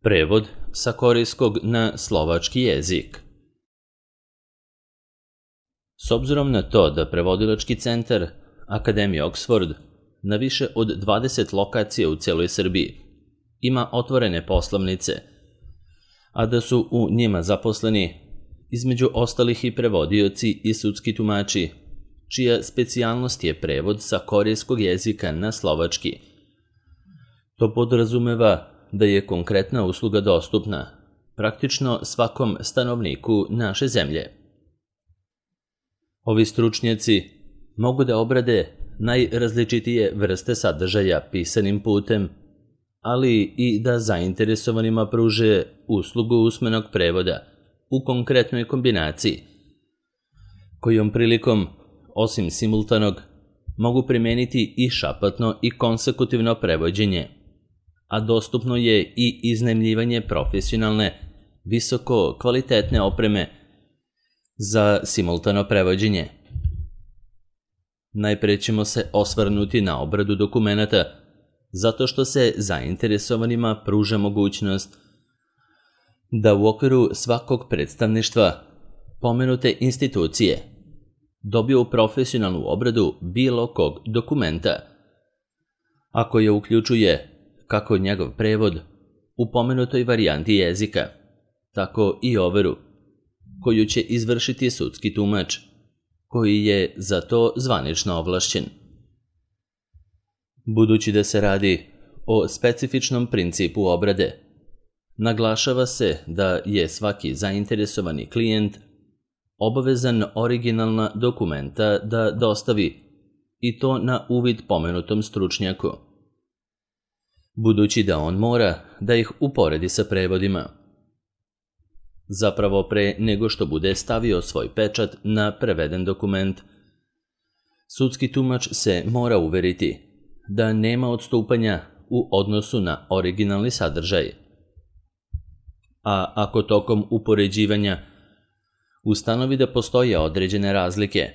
Prevod sa korejskog na slovački jezik. S obzirom na to da prevodilački centar Akademije Oxford na više od 20 lokacija u cijeloj Srbiji ima otvorene poslovnice, a da su u njima zaposleni između ostalih i prevodioci i sudski tumači, čija specijalnost je prevod sa korejskog jezika na slovački. To podrazumeva da je konkretna usluga dostupna praktično svakom stanovniku naše zemlje. Ovi stručnjaci mogu da obrade najrazličitije vrste sadržaja pisanim putem, ali i da zainteresovanima pruže uslugu usmenog prevoda u konkretnoj kombinaciji, kojom prilikom, osim simultanog, mogu primeniti i šapatno i konsekutivno prevođenje, a dostupno je i iznajmljivanje profesionalne, visoko kvalitetne opreme za simultano prevođenje. Najpre ćemo se osvrnuti na obradu dokumenata, zato što se zainteresovanima pruža mogućnost da u okviru svakog predstavništva pomenute institucije dobiju profesionalnu obradu bilo kog dokumenta, ako je uključuje kako njegov prevod u pomenutoj varijanti jezika, tako i overu, koju će izvršiti sudski tumač, koji je za to zvanično ovlašćen. Budući da se radi o specifičnom principu obrade, naglašava se da je svaki zainteresovani klijent obavezan originalna dokumenta da dostavi, i to na uvid pomenutom stručnjaku, budući da on mora da ih uporedi sa prevodima. Zapravo, pre nego što bude stavio svoj pečat na preveden dokument, sudski tumač se mora uveriti da nema odstupanja u odnosu na originalni sadržaj. A ako tokom upoređivanja ustanovi da postoje određene razlike,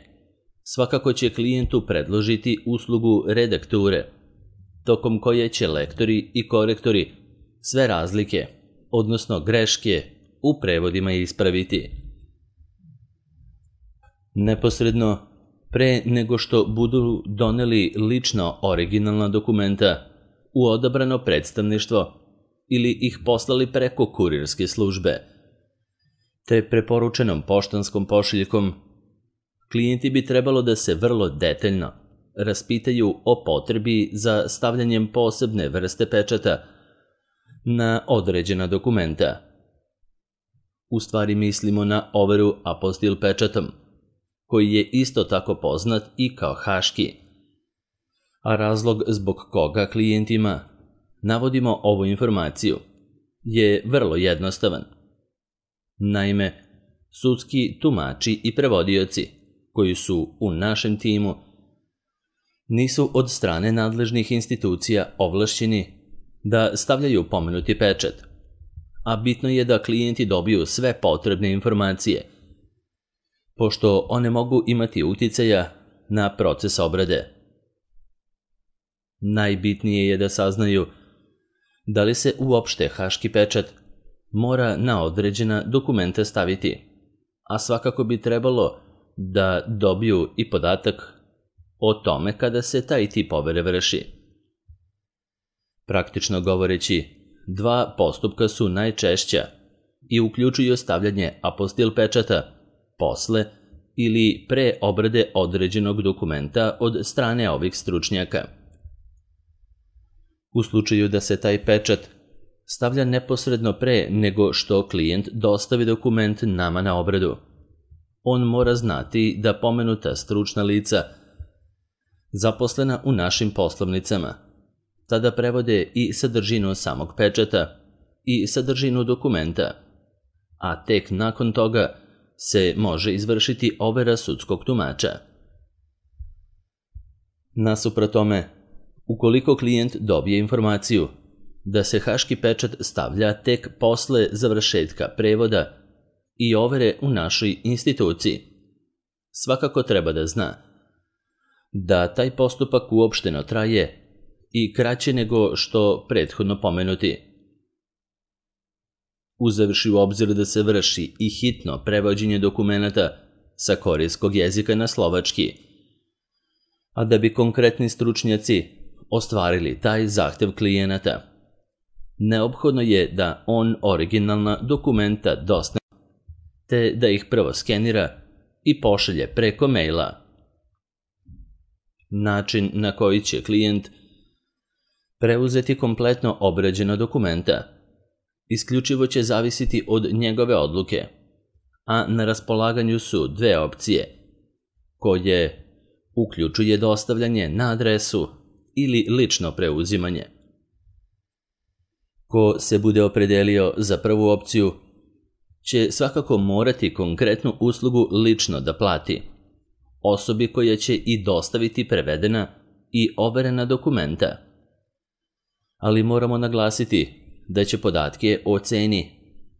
svakako će klijentu predložiti uslugu redakture, tokom koje će lektori i korektori sve razlike, odnosno greške, u prevodima ispraviti. Neposredno pre nego što budu doneli lično originalna dokumenta u odabrano predstavništvo ili ih poslali preko kurirske službe, te preporučenom poštanskom pošiljkom, klijenti bi trebalo da se vrlo detaljno raspitaju o potrebi za stavljanjem posebne vrste pečata na određena dokumenta. U stvari mislimo na overu apostil pečatom, koji je isto tako poznat i kao haški. A razlog zbog koga klijentima navodimo ovu informaciju je vrlo jednostavan. Naime, sudski tumači i prevodioci koji su u našem timu nisu od strane nadležnih institucija ovlašćeni da stavljaju pomenuti pečat, a bitno je da klijenti dobiju sve potrebne informacije, pošto one mogu imati uticaja na proces obrade. Najbitnije je da saznaju da li se uopšte haški pečat mora na određena dokumenta staviti, a svakako bi trebalo da dobiju i podatak o tome kada se taj tip overe vrši. Praktično govoreći, dva postupka su najčešća i uključuju stavljanje apostil pečata posle ili pre obrade određenog dokumenta od strane ovih stručnjaka. U slučaju da se taj pečat stavlja neposredno pre nego što klijent dostavi dokument nama na obradu, on mora znati da pomenuta stručna lica zaposlena u našim poslovnicama tada prevode i sadržinu samog pečata i sadržinu dokumenta, a tek nakon toga se može izvršiti overa sudskog tumača. Nasuprot tome, ukoliko klijent dobije informaciju da se haški pečat stavlja tek posle završetka prevoda i overe u našoj instituciji, svakako treba da zna da taj postupak uopšteno traje i kraće nego što prethodno pomenuti. uzevši u obzir da se vrši i hitno prevođenje dokumenata sa korejskog jezika na slovački. A da bi konkretni stručnjaci ostvarili taj zahtev klijenata, neophodno je da on originalna dokumenta dostavi, te da ih prvo skenira i pošalje preko maila. Način na koji će klijent preuzeti kompletno obrađena dokumenta isključivo će zavisiti od njegove odluke, a na raspolaganju su dve opcije, koje uključuje dostavljanje na adresu ili lično preuzimanje. Ko se bude opredelio za prvu opciju, će svakako morati konkretnu uslugu lično da plati osobi koja će i dostaviti prevedena i overena dokumenta. Ali moramo naglasiti da će podatke o ceni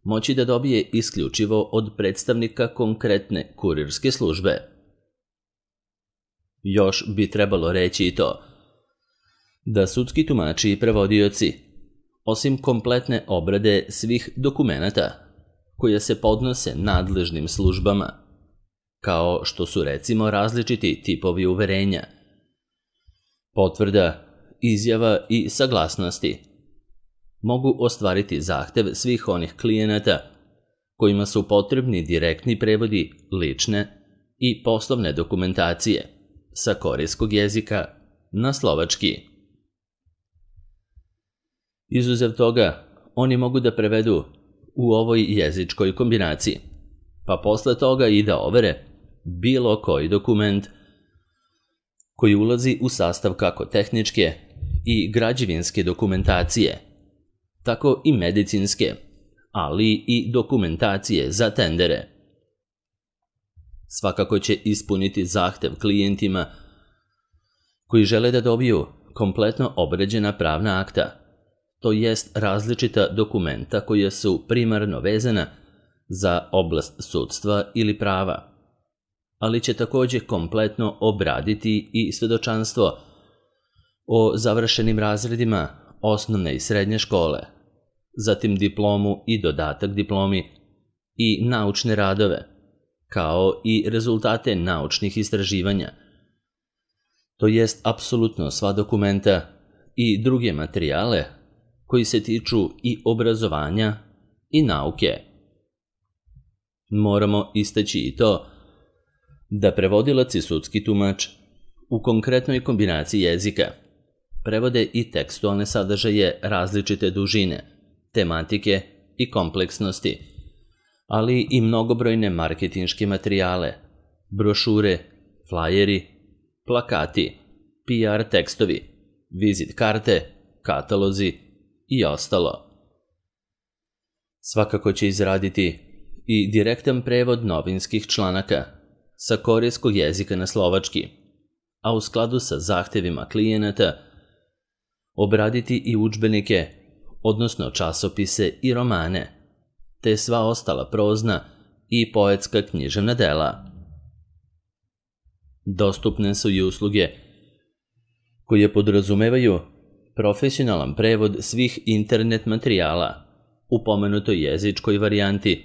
moći da dobije isključivo od predstavnika konkretne kurirske službe. Još bi trebalo reći i to da sudski tumači i prevodioci, osim kompletne obrade svih dokumenata koje se podnose nadležnim službama, kao što su recimo različiti tipovi uverenja, potvrda, izjava i saglasnosti, mogu ostvariti zahtev svih onih klijenata kojima su potrebni direktni prevodi lične i poslovne dokumentacije sa korejskog jezika na slovački. Izuzev toga, oni mogu da prevedu u ovoj jezičkoj kombinaciji, pa posle toga i da overe bilo koji dokument koji ulazi u sastav kako tehničke i građevinske dokumentacije, tako i medicinske, ali i dokumentacije za tendere. Svakako će ispuniti zahtev klijentima koji žele da dobiju kompletno obrađena pravna akta, to jest različita dokumenta koja su primarno vezana za oblast sudstva ili prava, ali će takođe kompletno obraditi i svedočanstvo o završenim razredima osnovne i srednje škole, zatim diplomu i dodatak diplomi i naučne radove, kao i rezultate naučnih istraživanja, to jest apsolutno sva dokumenta i druge materijale koji se tiču i obrazovanja i nauke. Moramo istaći i to da prevodilac i sudski tumač u konkretnoj kombinaciji jezika prevode i tekstualne sadržaje različite dužine, tematike i kompleksnosti, ali i mnogobrojne marketinške materijale, brošure, flajeri, plakati, PR tekstovi, vizit karte, katalozi i ostalo. Svakako će izraditi i direktan prevod novinskih članaka sa korejskog jezika na slovački, a u skladu sa zahtevima klijenata obraditi i udžbenike, odnosno časopise i romane, te sva ostala prozna i poetska književna dela. Dostupne su i usluge koje podrazumevaju profesionalan prevod svih internet materijala u pomenutoj jezičkoj varijanti,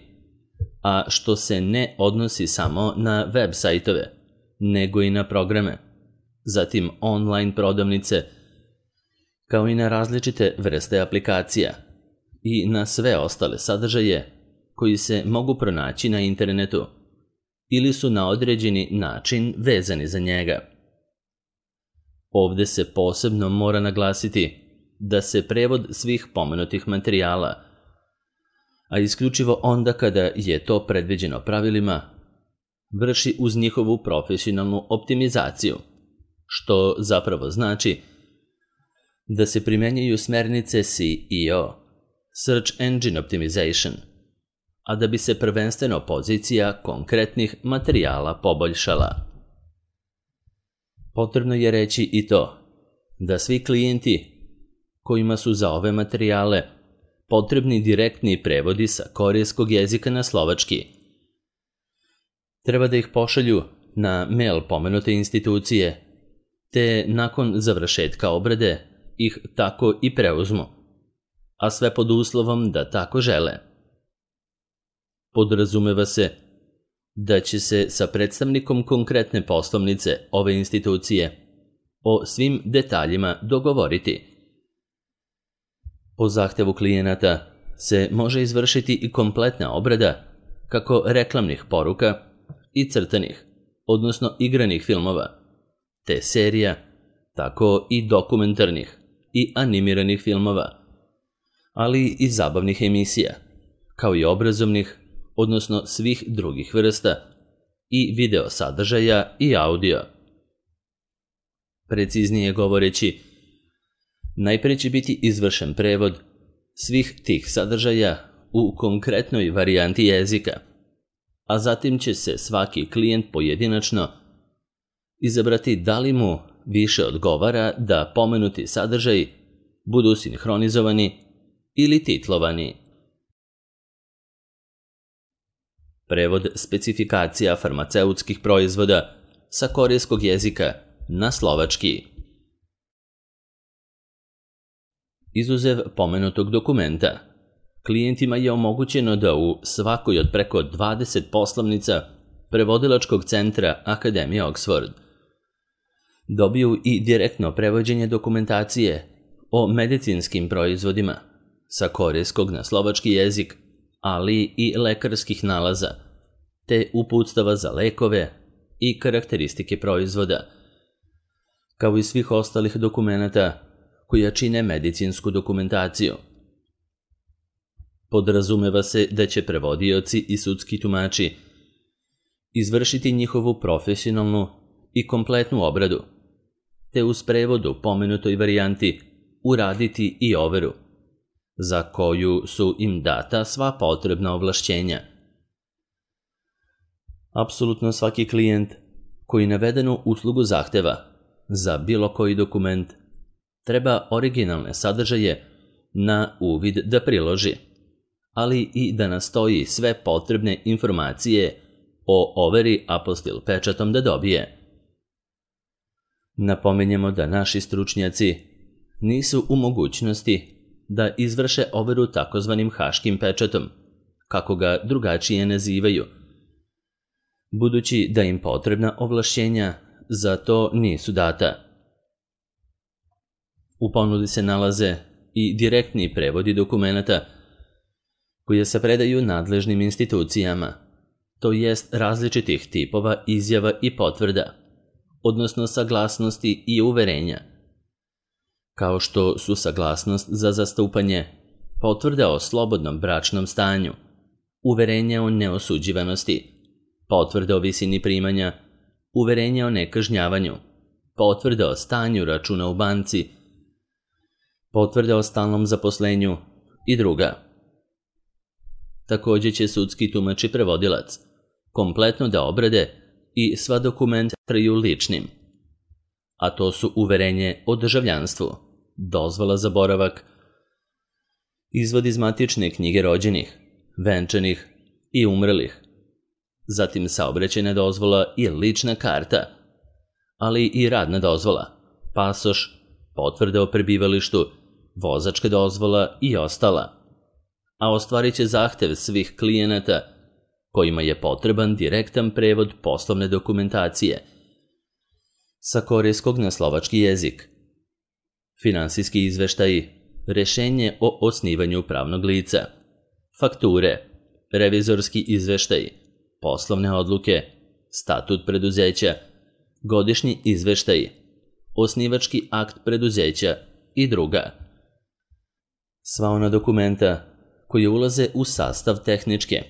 a što se ne odnosi samo na web sajtove, nego i na programe, zatim online prodavnice, kao i na različite vrste aplikacija i na sve ostale sadržaje koji se mogu pronaći na internetu ili su na određeni način vezani za njega. Ovde se posebno mora naglasiti da se prevod svih pomenutih materijala, a isključivo onda kada je to predviđeno pravilima, vrši uz njihovu profesionalnu optimizaciju, što zapravo znači da se primenjuju smernice SEO, Search Engine Optimization, a da bi se prvenstveno pozicija konkretnih materijala poboljšala. Potrebno je reći i to da svi klijenti kojima su za ove materijale potrebni direktni prevodi sa korejskog jezika na slovački, treba da ih pošalju na mail pomenute institucije, te nakon završetka obrade ih tako i preuzmu, a sve pod uslovom da tako žele, Podrazumeva se da će se sa predstavnikom konkretne poslovnice ove institucije o svim detaljima dogovoriti. Po zahtevu klijenata se može izvršiti i kompletna obrada kako reklamnih poruka i crtanih, odnosno igranih filmova, te serija, tako i dokumentarnih i animiranih filmova, ali i zabavnih emisija, kao i obrazovnih, odnosno svih drugih vrsta, i video sadržaja i audio. Preciznije govoreći, najprije će biti izvršen prevod svih tih sadržaja u konkretnoj varijanti jezika, a zatim će se svaki klijent pojedinačno izabrati da li mu više odgovara da pomenuti sadržaji budu sinhronizovani ili titlovani. Prevod specifikacija farmaceutskih proizvoda sa korejskog jezika na slovački. Izuzev pomenutog dokumenta, klijentima je omogućeno da u svakoj od preko 20 poslovnica prevodilačkog centra Akademije Oxford dobiju i direktno prevođenje dokumentacije o medicinskim proizvodima sa korejskog na slovački jezik, ali i lekarskih nalaza, te uputstava za lekove i karakteristike proizvoda, kao i svih ostalih dokumenata koja čine medicinsku dokumentaciju. Podrazumeva se da će prevodioci i sudski tumači izvršiti njihovu profesionalnu i kompletnu obradu, te uz prevod u pomenutoj varijanti uraditi i overu, za koju su im data sva potrebna ovlašćenja. Apsolutno svaki klijent koji navedenu uslugu zahteva za bilo koji dokument treba originalne sadržaje na uvid da priloži, ali i da nastoji sve potrebne informacije o overi apostil pečatom da dobije. Napominjemo da naši stručnjaci nisu u mogućnosti da izvrše overu takozvanim haškim pečatom, kako ga drugačije nazivaju, budući da im potrebna ovlašćenja za to nisu data. U ponudi se nalaze i direktni prevodi dokumenata koje se predaju nadležnim institucijama, to jest različitih tipova izjava i potvrda, odnosno saglasnosti i uverenja, kao što su saglasnost za zastupanje, potvrda o slobodnom bračnom stanju, uverenje o neosuđivanosti, potvrda o visini primanja, uverenje o nekažnjavanju, potvrda o stanju računa u banci, potvrda o stalnom zaposlenju i druga. Također će sudski tumač i prevodilac kompletno da obrade i sva dokumenta smatraju ličnim, a to su uverenje o državljanstvu, dozvola za boravak, izvod iz matične knjige rođenih, venčanih i umrlih, zatim saobraćajna dozvola i lična karta, ali i radna dozvola, pasoš, potvrda o prebivalištu, vozačka dozvola i ostala, a ostvarit će zahtev svih klijenata kojima je potreban direktan prevod poslovne dokumentacije sa korejskog na slovački jezik, finansijski izveštaji, rešenje o osnivanju pravnog lica, fakture, revizorski izveštaji, poslovne odluke, statut preduzeća, godišnji izveštaji, osnivački akt preduzeća i druga. Sva ona dokumenta koje ulaze u sastav tehničke,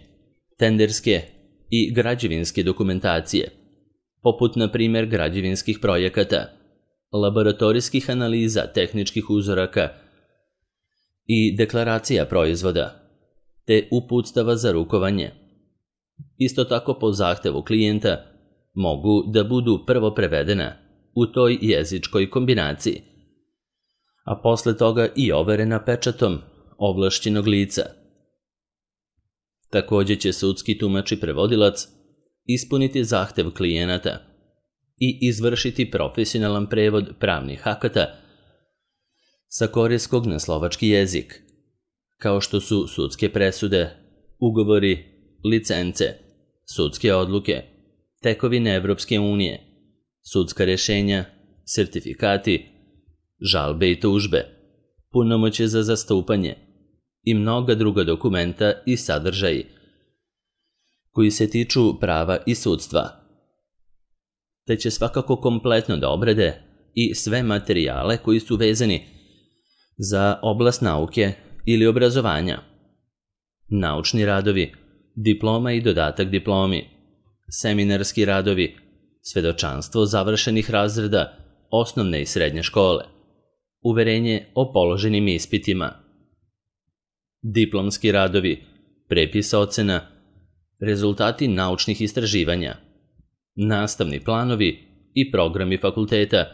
tenderske i građevinske dokumentacije, poput na primjer građevinskih projekata, laboratorijskih analiza tehničkih uzoraka i deklaracija proizvoda, te uputstava za rukovanje. Isto tako po zahtevu klijenta mogu da budu prvo prevedena u toj jezičkoj kombinaciji, a posle toga i overena pečatom ovlašćenog lica. Također će sudski tumač i prevodilac ispuniti zahtev klijenata i izvršiti profesionalan prevod pravnih akata sa korejskog na slovački jezik, kao što su sudske presude, ugovori, licence, sudske odluke, tekovine Evropske unije, sudska rješenja, sertifikati, žalbe i tužbe, punomoćje za zastupanje i mnoga druga dokumenta i sadržaji koji se tiču prava i sudstva, te će svakako kompletno da obrade i sve materijale koji su vezani za oblast nauke ili obrazovanja, naučni radovi, diploma i dodatak diplomi, seminarski radovi, svedočanstvo završenih razreda osnovne i srednje škole, uverenje o položenim ispitima, diplomski radovi, prepis ocena, rezultati naučnih istraživanja, nastavni planovi i programi fakulteta,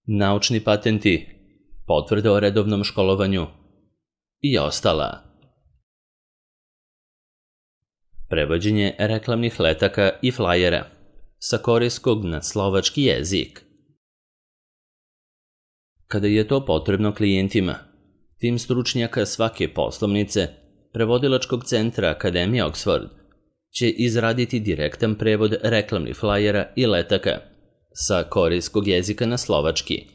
naučni patenti, potvrde o redovnom školovanju i ostala. Prevođenje reklamnih letaka i flajera sa korejskog na slovački jezik. Kada je to potrebno klijentima, tim stručnjaka svake poslovnice, prevodilačkog centra Akademije Oxford će izraditi direktan prevod reklamnih flajera i letaka sa korejskog jezika na slovački.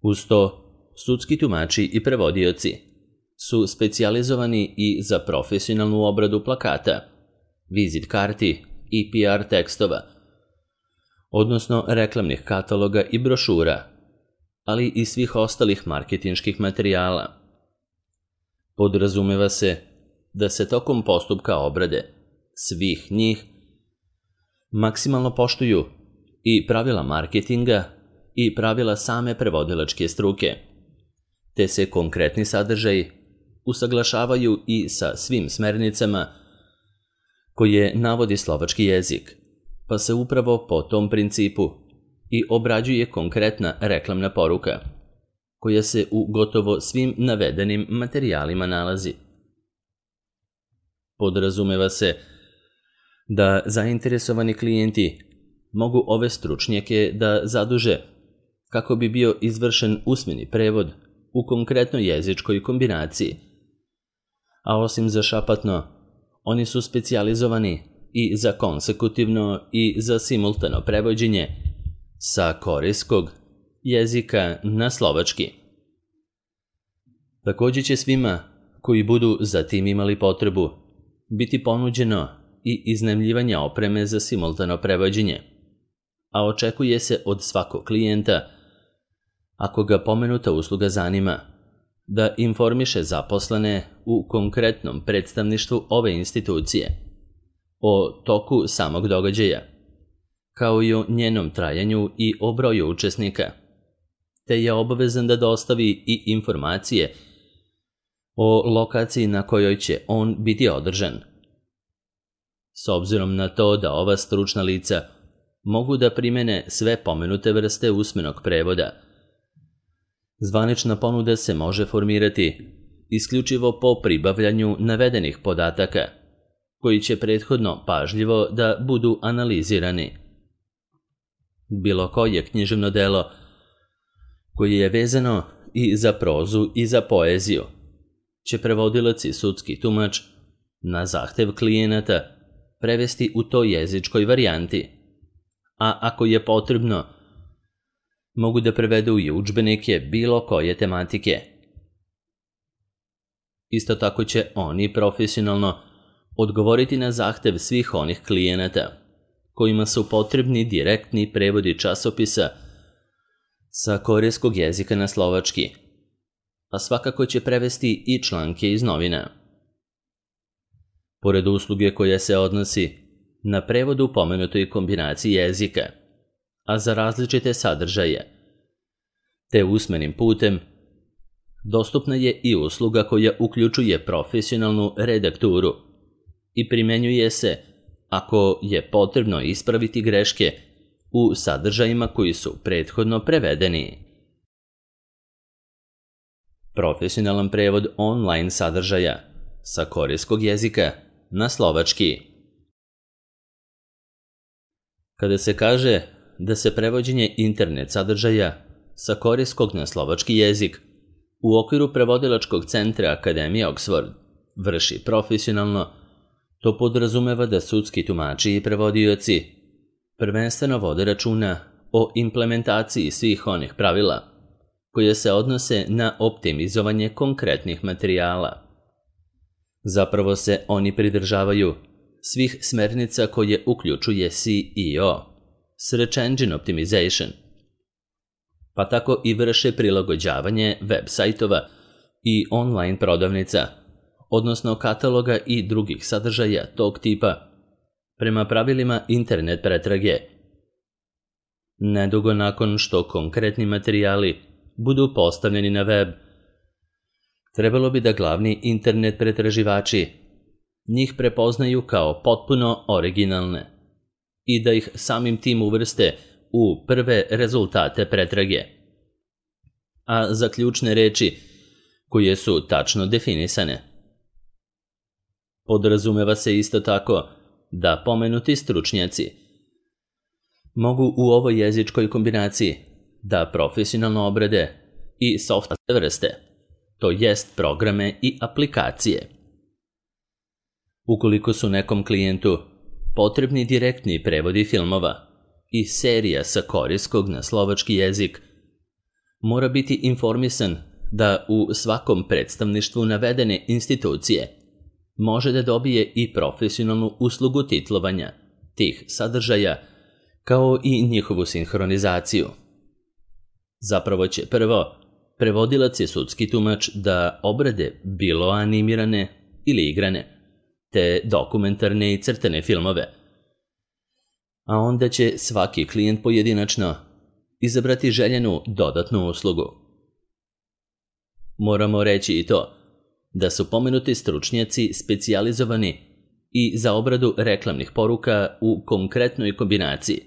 Uz to, sudski tumači i prevodioci su specijalizovani i za profesionalnu obradu plakata, vizit karti i PR tekstova, odnosno reklamnih kataloga i brošura, ali i svih ostalih marketinških materijala. Podrazumeva se da se tokom postupka obrade svih njih maksimalno poštuju i pravila marketinga i pravila same prevodilačke struke, te se konkretni sadržaji usaglašavaju i sa svim smernicama koje navodi slovački jezik, pa se upravo po tom principu i obrađuje konkretna reklamna poruka, koja se u gotovo svim navedenim materijalima nalazi. Podrazumeva se da zainteresovani klijenti mogu ove stručnjake da zaduže kako bi bio izvršen usmeni prevod u konkretnoj jezičkoj kombinaciji, a osim za šapatno, oni su specijalizovani i za konsekutivno i za simultano prevođenje sa korejskog jezika na slovački. Također će svima koji budu za tim imali potrebu biti ponuđeno i iznajmljivanje opreme za simultano prevođenje, a očekuje se od svakog klijenta, ako ga pomenuta usluga zanima, da informiše zaposlene u konkretnom predstavništvu ove institucije o toku samog događaja, kao i o njenom trajanju i o broju učesnika, te je obavezan da dostavi i informacije o lokaciji na kojoj će on biti održan. S obzirom na to da ova stručna lica mogu da primene sve pomenute vrste usmenog prevoda, zvanična ponuda se može formirati isključivo po pribavljanju navedenih podataka, koji će prethodno pažljivo da budu analizirani. Bilo koje književno delo koje je vezano i za prozu i za poeziju će prevodilac i sudski tumač na zahtev klijenata prevesti u toj jezičkoj varijanti, a ako je potrebno, mogu da prevedu i udžbenike bilo koje tematike. Isto tako će oni profesionalno odgovoriti na zahtev svih onih klijenata kojima su potrebni direktni prevodi časopisa sa korejskog jezika na slovački, a svakako će prevesti i članke iz novina. Pored usluge koja se odnosi na prevod u pomenutoj kombinaciji jezika, a za različite sadržaje, te usmenim putem, dostupna je i usluga koja uključuje profesionalnu redakturu i primjenjuje se ako je potrebno ispraviti greške u sadržajima koji su prethodno prevedeni. Profesionalan prevod online sadržaja sa korejskog jezika na slovački. Kada se kaže da se prevođenje internet sadržaja sa korejskog na slovački jezik u okviru prevodilačkog centra Akademije Oxford vrši profesionalno, to podrazumeva da sudski tumači i prevodioci prvenstveno vode računa o implementaciji svih onih pravila koje se odnose na optimizovanje konkretnih materijala. Zapravo se oni pridržavaju svih smernica koje uključuje SEO, Search Engine Optimization, pa tako i vrše prilagođavanje web sajtova i online prodavnica, odnosno kataloga i drugih sadržaja tog tipa, prema pravilima internet pretrage. Nedugo nakon što konkretni materijali budu postavljeni na web, trebalo bi da glavni internet pretraživači njih prepoznaju kao potpuno originalne i da ih samim tim uvrste u prve rezultate pretrage. A za ključne reči koje su tačno definisane. Podrazumeva se isto tako da pomenuti stručnjaci mogu u ovoj jezičkoj kombinaciji da profesionalno obrade i software vrste, to jest programe i aplikacije. Ukoliko su nekom klijentu potrebni direktni prevodi filmova i serija sa korejskog na slovački jezik, mora biti informisan da u svakom predstavništvu navedene institucije može da dobije i profesionalnu uslugu titlovanja tih sadržaja, kao i njihovu sinhronizaciju. Zapravo će prvo prevodilac i sudski tumač da obrade bilo animirane ili igrane, te dokumentarne i crtane filmove, a onda će svaki klijent pojedinačno izabrati željenu dodatnu uslugu. Moramo reći i to da su pomenuti stručnjaci specijalizovani i za obradu reklamnih poruka u konkretnoj kombinaciji,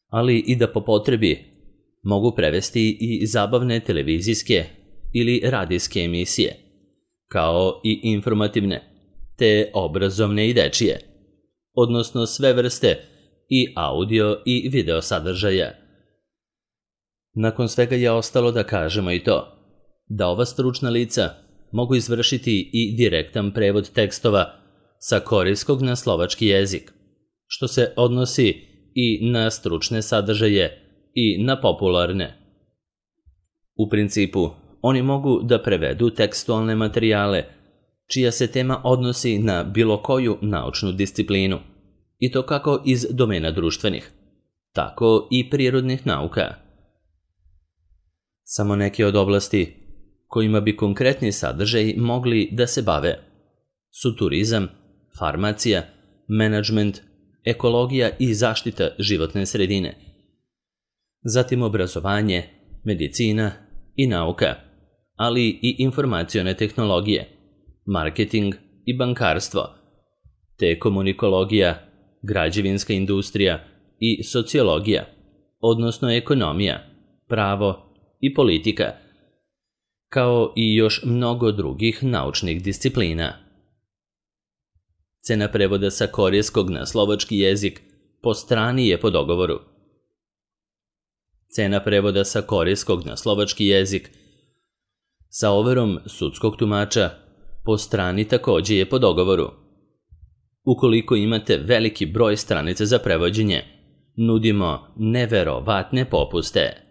ali i da po potrebi mogu prevesti i zabavne televizijske ili radijske emisije, kao i informativne, te obrazovne i dečije, odnosno sve vrste i audio i video sadržaja. Nakon svega je ostalo da kažemo i to, da ova stručna lica mogu izvršiti i direktan prevod tekstova sa korejskog na slovački jezik, što se odnosi i na stručne sadržaje i na popularne. U principu, oni mogu da prevedu tekstualne materijale čija se tema odnosi na bilo koju naučnu disciplinu, i to kako iz domena društvenih, tako i prirodnih nauka. Samo neke od oblasti kojima bi konkretni sadržaji mogli da se bave su turizam, farmacija, menadžment, ekologija i zaštita životne sredine, zatim obrazovanje, medicina i nauka, ali i informacione tehnologije, marketing i bankarstvo, te komunikologija, građevinska industrija i sociologija, odnosno ekonomija, pravo i politika, kao i još mnogo drugih naučnih disciplina. Cena prevoda sa korejskog na slovački jezik po strani je po dogovoru. Cena prevoda sa korejskog na slovački jezik sa overom sudskog tumača po strani takođe je po dogovoru. Ukoliko imate veliki broj stranica za prevođenje, nudimo neverovatne popuste.